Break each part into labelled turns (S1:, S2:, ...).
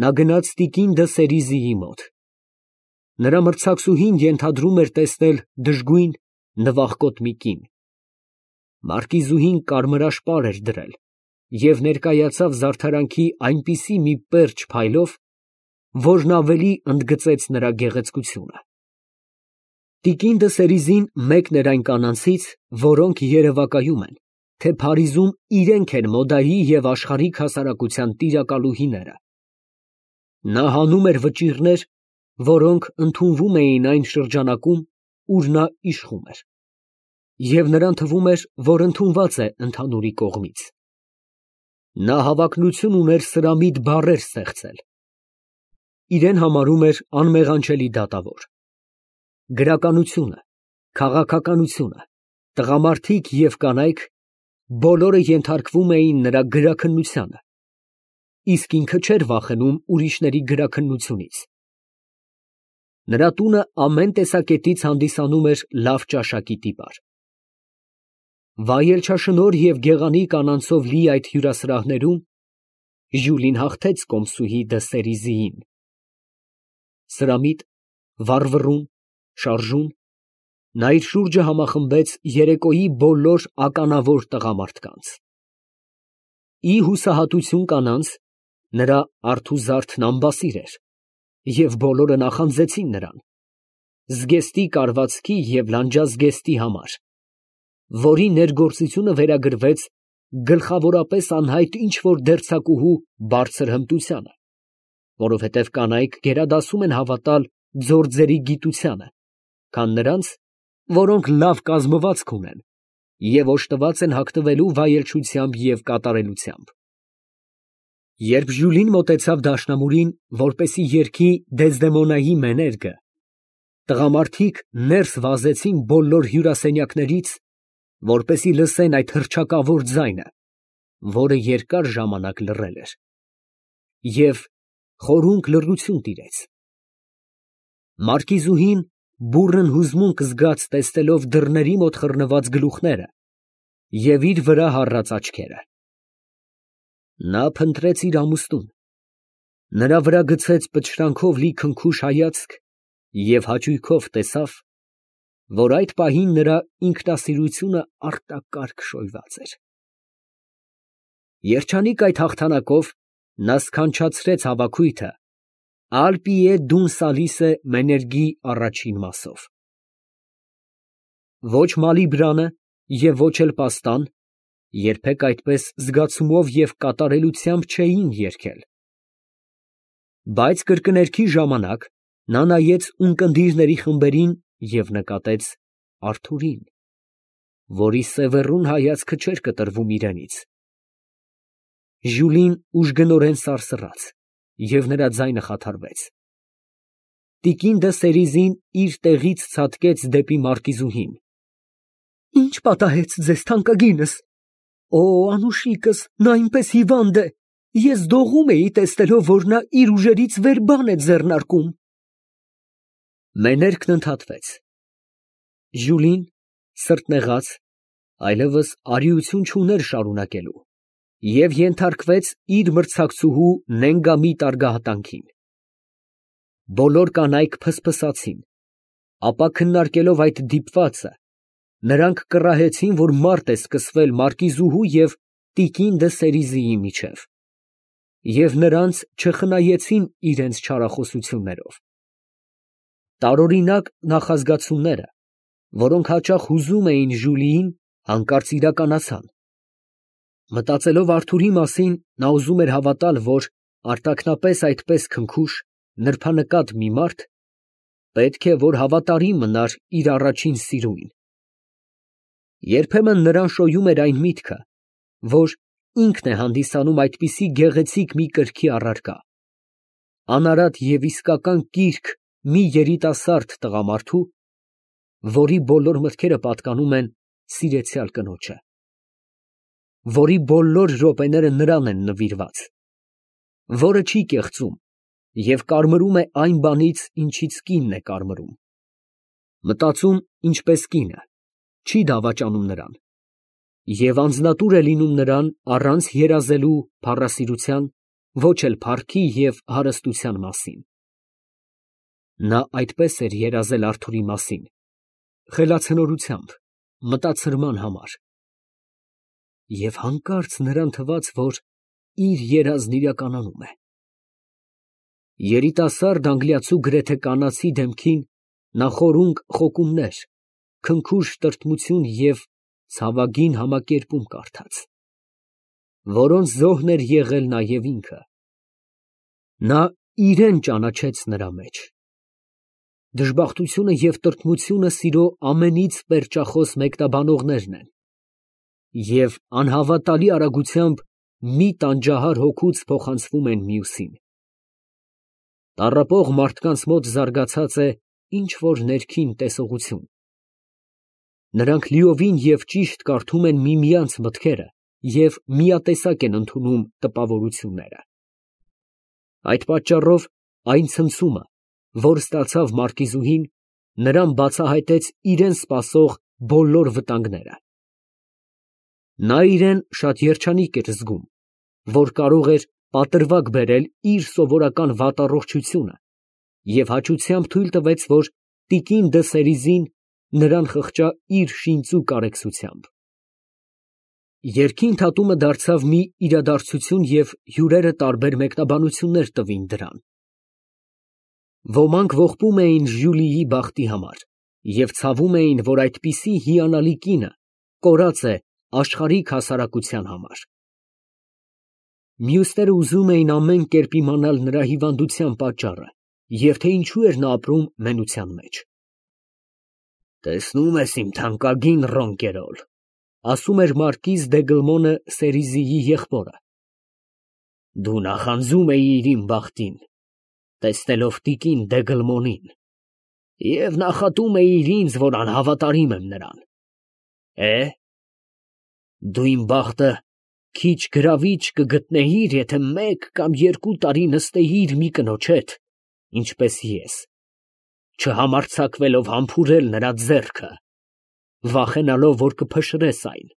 S1: Նա գնաց տիկին Դսերիզիի մոտ։ Նրա մրցակցուհին ենթադրում էր տեսնել դժգույն, նվախկոտ մի կին։ Մարկիզուհին կարմրաշպար էր դրել և ներկայացավ զարդարանքի այնպիսի մի պերճ փայլով, որն ավելի ընդգծեց նրա գեղեցկությունը։ Տիկին Դսերիզին մեկն էր այն կանանցից, որոնք երևակայում են, թե Փարիզում իրենք են մոդայի և աշխարհիկ հասարակության տիրակալուհիները։ Նա հանում էր վճիռներ, որոնք ընդունվում էին այն շրջանակում, ուր նա իշխում էր, և նրան թվում էր, որ ընդունված է ընդհանուրի կողմից։ Նա հավակնություն ուներ սրամիտ բառեր ստեղծել։ Իրեն համարում էր անմեղանջելի դատավոր։ Գրականությունը, քաղաքականությունը, տղամարդիկ և կանայք բոլորը ենթարկվում էին նրա գրաքննությանը, իսկ ինքը չէր վախենում ուրիշների գրաքննությունից։ Նրա տունը ամեն տեսակետից հանդիսանում էր լավ ճաշակի տիպար։ Վայելչաշնորհ և գեղանի կանանցով լի այդ հյուրասրահներում Ժյուլին հաղթեց կոմսուհի Դսերիզիին։ Սրամիտ, վառվռուն, շարժուն, նա իր շուրջը համախմբեց երեկոյի բոլոր ականավոր տղամարդկանց։ Ի հուսահատություն կանանց, նրա արթուզարդն ամբասիր էր, և բոլորը նախանձեցին նրան, զգեստի կարվածքի և լանջազգեստի համար, որի ներգործությունը վերագրվեց գլխավորապես անհայտ ինչ֊որ դերձակուհու բարձր հմտությանը, որովհետև կանայք գերադասում են հավատալ ձորձերի գիտությանը, քան նրանց, որոնք լավ կազմվածք ունեն և օժտված են հագնվելու վայելչությամբ և կատարելությամբ։ Երբ Ժյուլին մոտեցավ դաշնամուրին, որպեսզի երգի Դեզդեմոնայի մեներգը, տղամարդիկ ներս վազեցին բոլոր հյուրասենյակներից, որպեսզի լսեն այդ հռչակավոր ձայնը, որը երկար ժամանակ լռել էր, և խորհունկ լռություն տիրեց։ Մարկիզուհին բուռն հուզմունք զգաց տեսնելով դռների մոտ խռնված գլուխները և իր վրա հառած աչքերը։ Նա փնտրեց իր ամուսնուն, նրա վրա գցեց պչրանքով լի քնքուշ հայացք և հաճույքով տեսավ, որ այդ պահին նրա ինքնասիրությունը արտակարգ շոյված էր։ Երջանիկ այդ հաղթանակով նա սքանչացրեց հավաքույթը «Ալ պիեդուն սալիսը» մեներգի առաջին մասով։ Ոչ Մալիբրանը և ոչ էլ Պաստան երբեք այդպես զգացումով և կատարելությամբ չէին երգել։ Բայց կրկներգի ժամանակ նա նայեց ունկնդիրների խմբերին և նկատեց Արթուրին, որի սևեռուն հայացքը չէր կտրվում իրենից։ Ժյուլին ուժգնորեն սարսռաց, և նրա ձայնը խաթարվեց։ Տիկին Դսերիզին իր տեղից ցատկեց դեպի մարկիզուհին։ Ի՞նչ պատահեց ձեզ, թանկագինս։ Օ, անուշիկս, նա այնպես հիվանդ է, ես դողում էի տեսնելով, որ նա իր ուժերից վեր բան է ձեռնարկում։ Մեներգն ընդհատվեց։ Ժյուլին, սրտնեղած, այլևս արիություն չուներ շարունակելու և ենթարկվեց իր մրցակցուհու նենգամիտ արգահատանքին։ Բոլոր կանայք փսփսացին, ապա քննարկելով այդ դիպվածը, նրանք կռահեցին, որ մարտ է սկսվել մարկիզուհու և տիկին Դսերիզիի միջև, և նրանց չխնայեցին իրենց չարախոսություններով։ Տարօրինակ նախազգացումները, որոնք հաճախ հուզում էին Ժյուլիին, հանկարծ իրականացան։ Մտածելով Արթուրի մասին, նա ուզում էր հավատալ, որ արտաքնապես այդպես քնքուշ, նրբանկատ մի մարդ պետք է որ հավատարիմ մնար իր առաջին սիրուին։ Երբեմն նրան շոյում էր այն միտքը, որ ինքն է հանդիսանում այդպիսի գեղեցիկ մի կրքի առարկա, անարատ և իսկական կիրք մի երիտասարդ տղամարդու, որի բոլոր մտքերը պատկանում են սիրեցյալ կնոջը, որի բոլոր րոպեները նրան են նվիրված, որը չի կեղծում և կարմրում է այն բանից, ինչից կինն է կարմրում, մտածում ինչպես կինը, չի դավաճանում նրան և անձնատուր է լինում նրան առանց երազելու փառասիրության ոչ էլ փառքի և հարստության մասին։ Նա այդպես էր երազել Արթուրի մասին, խելացնորությամբ, մտածրման համար։ Եվ հանկարծ նրան թվաց, որ իր երազն իրականանում է։ Երիտասարդ անգլիացու գրեթե կանացի դեմքին նա խորունկ խոկումներ, քնքուշ տրտմություն և ցավագին համակերպում կարդաց, որոնց զոհն էր եղել նաև ինքը։ Նա իրան ճանաչեց նրա մեջ։ Դժբախտությունը և տրտմությունը սիրո ամենից պերճախոս մեկնաբանողներն են և անհավատալի արագությամբ մի տանջահար հոգուց փոխանցվում են մյուսին։ Տառապող մարդկանց մոտ զարգացած է ինչ֊որ ներքին տեսողություն։ Նրանք լիովին և ճիշտ կարդում են միմյանց մտքերը և միատեսակ են ընդունում տպավորությունները։ Այդ պատճառով այն ցնցումը, որ ստացավ մարկիզուհին, նրան բացահայտեց իրան սպասող բոլոր վտանգները։ Նա իրան շատ երջանիկ էր զգում, որ կարող էր պատրվակ բերել իր սովորական վատառողջությունը և հաճությամբ թույլ տվեց, որ տիկին դը Սերիզին նրան խղճա իր շինծու կարեկցությամբ։ Երգի ընդհատումը դարձավ մի իրադարձություն և հյուրերը տարբեր մեկնաբանություններ տվին դրան։ Ոմանք ողբում էին Ժյուլիի բախտի համար և ցավում էին, որ այդպիսի հիանալի կինը կորած է աշխարհիկ հասարակության համար։ Մյուսները ուզում էին ամեն կերպ իմանալ նրա հիվանդության պատճառը և թե ինչու էր նա ապրում մենության մեջ։ «Տեսնում ես իմ թանկագին Ռոնկերոլ», ֊ ասում էր մարկիզ դե Սերիզիի եղբորը, ֊ դու նախանձում էիր իմ բախտին, տեսնելով տիկին Դեգլմոնին, և նախատում էիր ինձ, որ անհավատարիմ եմ նրան։ Դու իմ բախտը քիչ գրավիչ կգտնեիր, եթե 1 կամ 2 տարի նստեիր մի կնոջ հետ, ինչպես ես, չհամարձակվելով համբուրել նրա ձեռքը, վախենալով, որ կփշրես այն։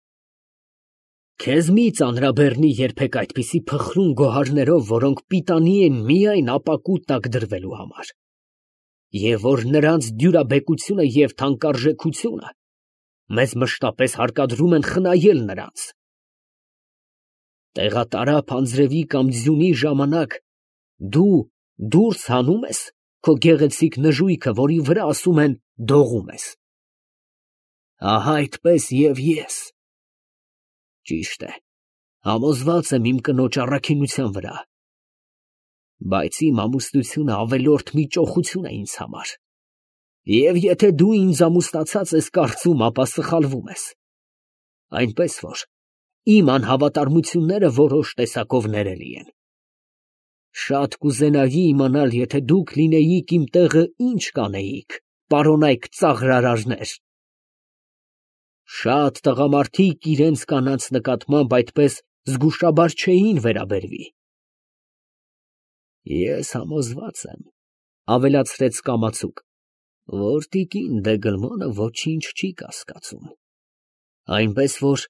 S1: Քեզ մի ծանրաբեռնի երբեք այդպիսի փխրուն գոհարներով, որոնք պիտանի են միայն ապակու տակ դրվելու համար, և որ նրանց դյուրաբեկությունը և թանկարժեքությունը մեզ մշտապես հարկադրում են խնայել նրանց։ Տեղատարափ անձրևի կամ ձյունի ժամանակ դու դուրս հանում ես քո գեղեցիկ նժույգը, որի վրա, ասում են, դողում ես։ Ահա այդպես և ես։ Ճիշտ է, համոզված եմ իմ կնոջ առաքինության վրա, բայց իմ ամուսնությունը ավելորդ մի ճոխություն է ինձ համար, և եթե դու ինձ ամուսնացած ես կարծում, ապա սխալվում ես, այնպես որ իմ անհավատարմությունները որոշ տեսակով ներելի են։ Շատ կուզենայի իմանալ, եթե դուք լինեիք իմ տեղը, ինչ կանեիք, պարոնայք ծաղրարարներ։ Շատ տղամարդիկ իրենց կանանց նկատմամբ այդպես զգուշաբար չէին վերաբերվի։ Ես համոզված եմ, ֊ ավելացրեց կամացուկ, ֊ որ տիկին Դեգլմոնը ոչինչ չի կասկածում, այնպես որ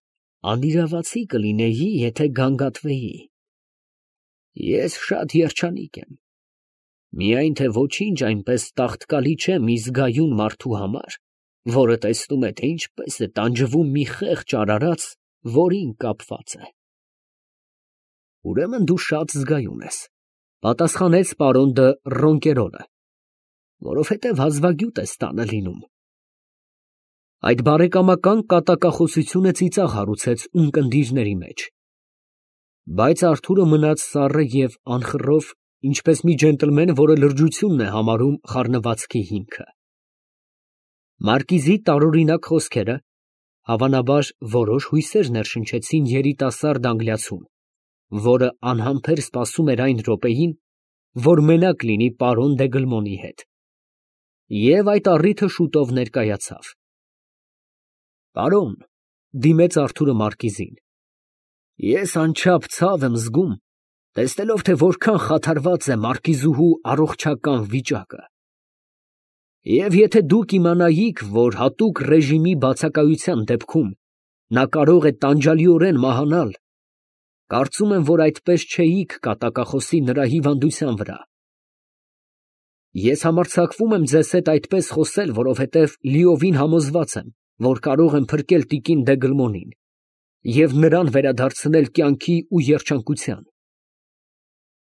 S1: անիրավացի կլինեի, եթե գանգատվեի։ Ես շատ երջանիկ եմ, միայն թե ոչինչ այնպես տաղտկալի չէ մի զգայուն մարդու համար, որը տեսնում է, թե ինչպես է տանջվում մի խեղճ արարած, որին կապված է։ Ուրեմն դու շատ զգայուն ես, ֊ պատասխանեց պարոն դը Ռոնկերոլը, ֊ որովհետև հազվագյուտ ես տանը լինում։ Այդ բարեկամական կատակախոսությունը ծիծաղ հարուցեց ունկնդիրների մեջ, բայց Արթուրը մնաց սառը և անխռով, ինչպես մի ջենտլմեն, որը լրջությունն է համարում խառնվածքի հիմքը։ Մարկիզի տարօրինակ խոսքերը, հավանաբար, որոշ հույսեր ներշնչեցին երիտասարդ անգլիացուն, որը անհամբեր սպասում էր այն րոպեին, որ մենակ լինի պարոն Դեգլմոնի հետ, և այդ առիթը շուտով ներկայացավ։ Պարոն, ֊ դիմեց Արթուրը մարկիզին, ֊ ես անչափ ցավ եմ զգում, տեսնելով, թե որքան խաթարված է մարկիզուհու առողջական վիճակը, և եթե դուք իմանայիք, որ հատուկ ռեժիմի բացակայության դեպքում նա կարող է տանջալիորեն մահանալ, Կարծում եմ, որ այդպես չէիք կատակախոսի նրա հիվանդության վրա։ Ես համարձակվում եմ ձեզ հետ այդպես խոսել, որովհետև լիովին համոզված եմ, որ կարող եմ փրկել տիկին Դեգլմոնին և նրան վերադարձնել կյանքի ու երջանկության։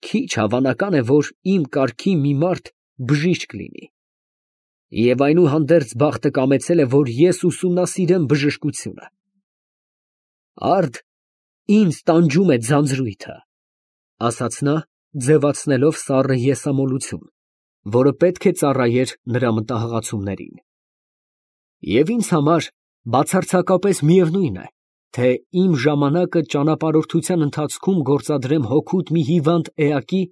S1: Քիչ հավանական է, որ իմ կարգի մի մարդ բժիշկ լինի։ Եվ այնուհանդերձ բախտը կամեցել է, որ ես ուսումնասիրեմ բժշկությունը։ Արդ ինձ տանջում է ձանձրույթը, ֊ ասաց նա, ձևացնելով սառը եսամոլություն, որը պետք է ծառայեր նրա մտահղացումներին։ Եվ ինձ համար բացարձակապես միևնույն է, թե իմ ժամանակը ճանապարհորդության ընթացքում գործադրեմ հօգուտ մի հիվանդ էակի,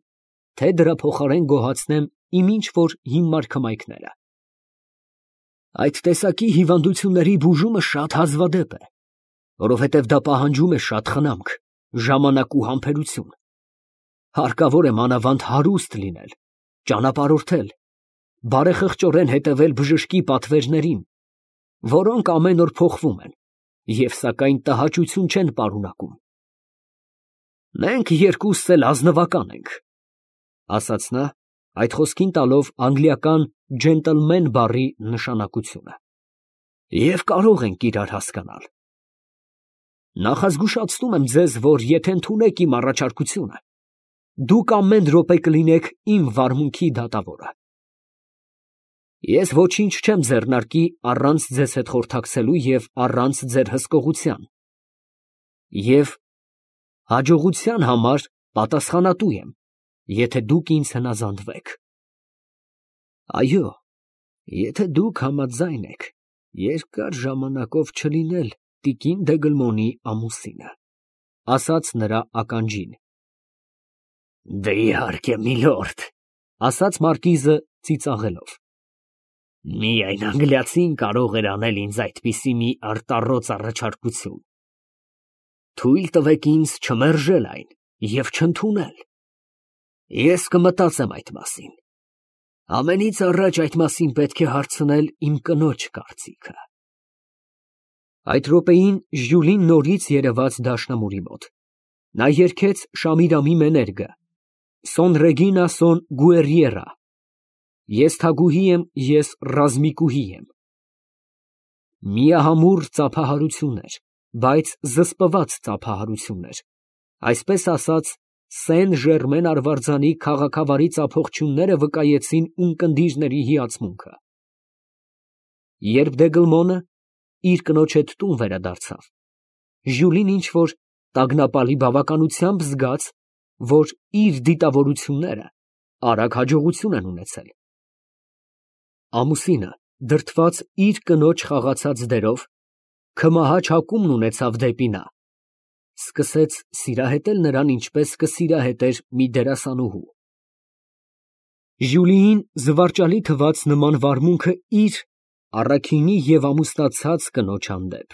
S1: թե դրա փոխարեն գոհացնեմ իմ ինչ֊որ հիմար քմայքները։ Այդ տեսակի հիվանդությունների բուժումը շատ հազվադեպ է, որովհետև դա պահանջում է շատ խնամք, ժամանակ ու համբերություն։ Հարկավոր է մանավանդ հարուստ լինել, ճանապարհորդել, բարեխղճորեն հետևել բժշկի պատվերներին, որոնք ամեն օր փոխվում են և սակայն տհաճություն չեն պարունակում։ Մենք երկուսս էլ ազնվական ենք, ֊ ասաց նա, այդ խոսքին տալով անգլիական ջենտլմեն բառի նշանակությունը, ֊ և կարող ենք իրար հասկանալ։ Նախազգուշացնում եմ ձեզ, որ եթե ընդունեք իմ առաջարկությունը, դուք ամեն րոպե կլինեք իմ վարմունքի դատավորը։ Ես ոչինչ չեմ ձեռնարկի առանց ձեզ հետ խորհրդակցելու և առանց ձեր հսկողության, և հաջողության համար պատասխանատու եմ, եթե դուք ինձ հնազանդվեք։ Այո, եթե դուք համաձայն եք երկար ժամանակով չլինել տիկին Դեգլմոնի ամուսինը, ֊ ասաց նրա ականջին։ Դե իհարկե, միլորդ, ֊ ասաց մարկիզը ծիծաղելով։ Միայն անգլիացին կարող էր անել ինձ այդպիսի մի արտառոց առաջարկություն։ Թույլ տվեք ինձ չմերժել այն և չընդունել։ Ես կմտածեմ այդ մասին։ Ամենից առաջ այդ մասին պետք է հարցնել իմ կնոջ կարծիքը։ Այդ րոպեին Ժյուլին նորից երևաց դաշնամուրի մոտ։ Նա երգեց Շամիրամի մեներգը Սոն Ռեգինա սոն Գուերիերա։ Ես թագուհի եմ, ես ռազմիկուհի եմ։ Միահամուռ ծափահարություններ, բայց զսպված ծափահարություններ, այսպես ասած, Սեն Ժերմեն արվարձանի քաղաքավարի ծափողջույնները վկայեցին ունկնդիրների հիացմունքը։ Երբ Դեգլմոնը իր կնոջ հետ տուն վերադարձավ, Ժյուլին ինչ֊որ տագնապալի բավականությամբ զգաց, որ իր դիտավորությունները արագ հաջողություն են ունեցել։ Ամուսինը, դրդված իր կնոջ խաղացած դերով, քմահաճ հակումն ունեցավ դեպի նա, սկսեց սիրահետել նրան, ինչպես կսիրահետեր մի դերասանուհու։ Ժյուլիին զվարճալի թվաց նման վարմունքը իր առաքինի և ամուսնացած կնոջ հանդեպ։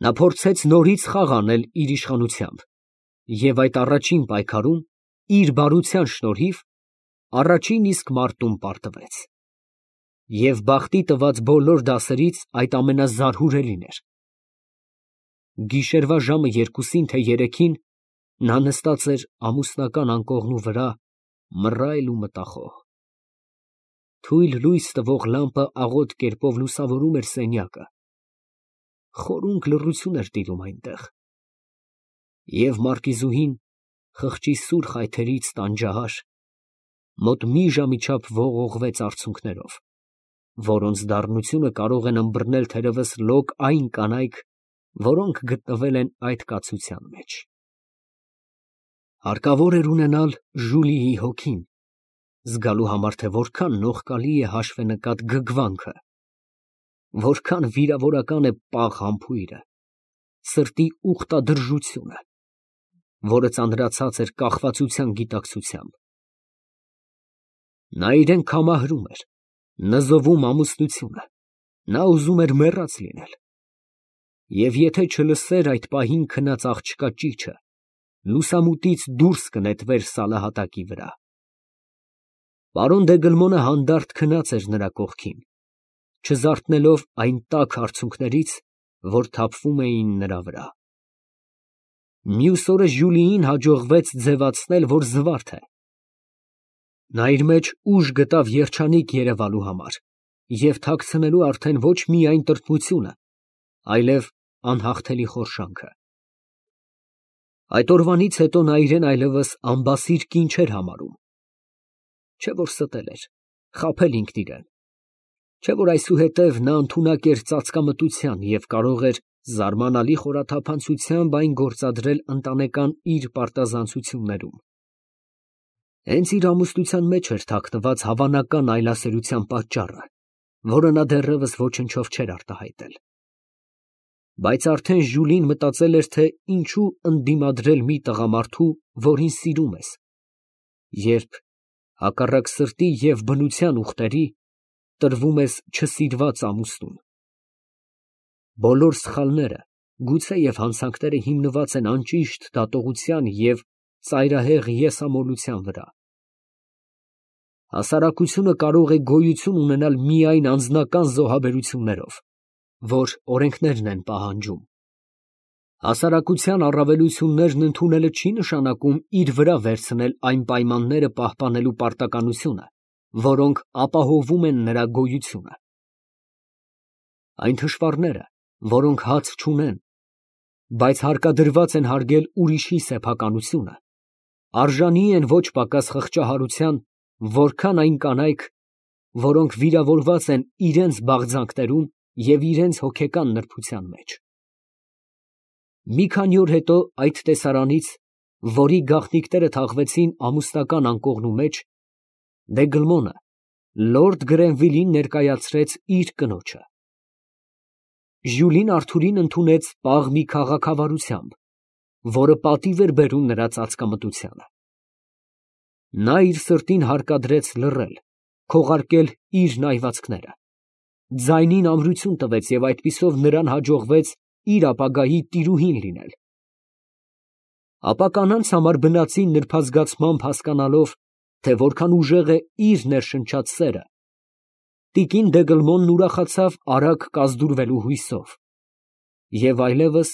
S1: Նա փորձեց նորից խաղ անել իր իշխանությամբ և այդ առաջին պայքարում, իր բարության շնորհիվ, առաջին իսկ մարտում պարտվեց։ Եվ բախտի տված բոլոր դասերից այդ ամենազարհուրելին էր։ Գիշերվա ժամը 2-ին, թե 3-ին նա նստած էր ամուսնական անկողնու վրա, մռայլ ու մտախոհ։ Թույլ լույս տվող լամպը աղոտ կերպով լուսավորում էր սենյակը։ Խորունկ լռություն էր տիրում այնտեղ։ Եվ մարկիզուհին, խղճի սուր խայթերից տանջահար, մոտ մի ժամի չափ ողողվեց արցունքներով, որոնց դառնությունը կարող են ըմբռնել թերևս լոկ այն կանայք, որոնք գտնվել են այդ կացության մեջ։ Հարկավոր էր ունենալ Ժուլիի հոգին, զգալու համար, թե որքան նողկալի է հաշվենկատ գգվանքը, որքան վիրավորական է պաղ համբույրը, սրտի ուխտադրժությունը, որը ծանրացած էր կախվածության գիտակցությամբ։ Նա իրեն քամահրում էր, նզովում ամուսնությունը, նա ուզում էր մեռած լինել։ Եվ եթե չլսեր այդ պահին քնած աղջկա ճիչը, լուսամուտից դուրս կնետվեր սալահատակի վրա։ Պարոն Դեգլմոնը հանդարտ քնած էր նրա կողքին, չզարթնելով այն տաք արցունքներից, որ թափվում էին նրա վրա։ Մյուս օրը Ժյուլիին հաջողվեց ձևացնել, որ զվարթ է։ Նա իր մեջ ուժ գտավ երջանիկ երևալու համար և թաքցնելու արդեն ոչ միայն տրտմությունը, այլև անհաղթելի խորշանքը։ Այդ օրվանից հետո նա իրեն այլևս անբասիր կին չէր համարում։ Չէ որ ստել էր, խաբել ինքն իրան, չէ որ այսուհետև նա ընդունակ էր ծածկամտության և կարող էր զարմանալի խորաթափանցությամբ այն գործադրել ընտանեկան իր պարտազանցություններում։ Հենց իր ամուսնության մեջ էր թաքնված հավանական այլասերության պատճառը, որը նա դեռևս ոչնչով չէր արտահայտել։ Բայց արդեն Ժյուլին մտածել էր, թե ինչու ընդդիմադրել մի տղամարդու, որին սիրում ես, երբ հակառակ սրտի և բնության ուխտերի տրվում ես չսիրված ամուսնուն։ Բոլոր սխալները, գուցեև հանցանքները հիմնված են անճիշտ դատողության և ծայրահեղ եսամոլության վրա։ Հասարակությունը կարող է գոյություն ունենալ միայն անձնական զոհաբերություններով, որ օրենքներն են պահանջում։ Հասարակության առավելություններն ընդունելը չի նշանակում իր վրա վերցնել այն պայմանները պահպանելու պարտականությունը, որոնք ապահովում են նրա գոյությունը։ Այն թշվառները, որոնք հաց չունեն, բայց հարկադրված են հարգել ուրիշի սեփականությունը, արժանի են ոչ պակաս խղճահարության, որքան այն կանայք, որոնք վիրավորված են իրենց բաղձանքներում և իրենց հոգեկան նրբության մեջ։ Մի քանի օր հետո այդ տեսարանից, որի գաղտնիքները թաղվեցին ամուսնական անկողնու մեջ, Դեգլմոնը լորդ Գրենվիլին ներկայացրեց իր կնոջը։ Ժյուլին Արթուրին ընդունեց պաղ մի քաղաքավարությամբ, որը պատիվ էր բերում նրա ծածկամտությանը։ Նա իր սրտին հարկադրեց լռել, քողարկել իր նայվածքները, ձայնին ամրություն տվեց և այդպիսով նրան հաջողվեց իր ապագայի տիրուհին լինել։ Ապա կանանց համար բնածին նրբազգացմամբ հասկանալով, թե որքան ուժեղ է իր ներշնչած սերը, տիկին Դեգլմոնն ուրախացավ արագ կազդուրվելու հույսով և այլևս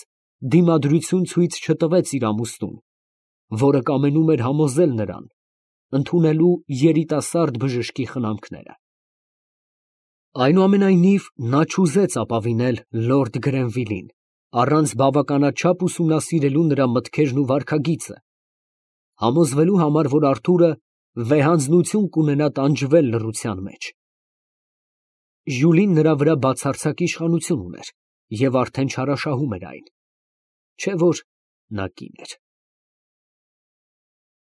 S1: դիմադրություն ցույց չտվեց իր ամուսնուն, որը կամենում էր համոզել նրան ընդունելու երիտասարդ բժշկի խնամքները։ Այնուամենայնիվ, նա չուզեց ապավինել լորդ Գրենվիլին, առանց բավականաչափ ուսումնասիրելու նրա մտքերն ու վարքագիծը, համոզվելու համար, որ Արթուրը վեհանձնություն կունենա տանջվել լռության մեջ։ Ժյուլին նրա վրա բացարձակ իշխանություն ուներ և արդեն չարաշահում էր այն, չէ որ նա կին էր։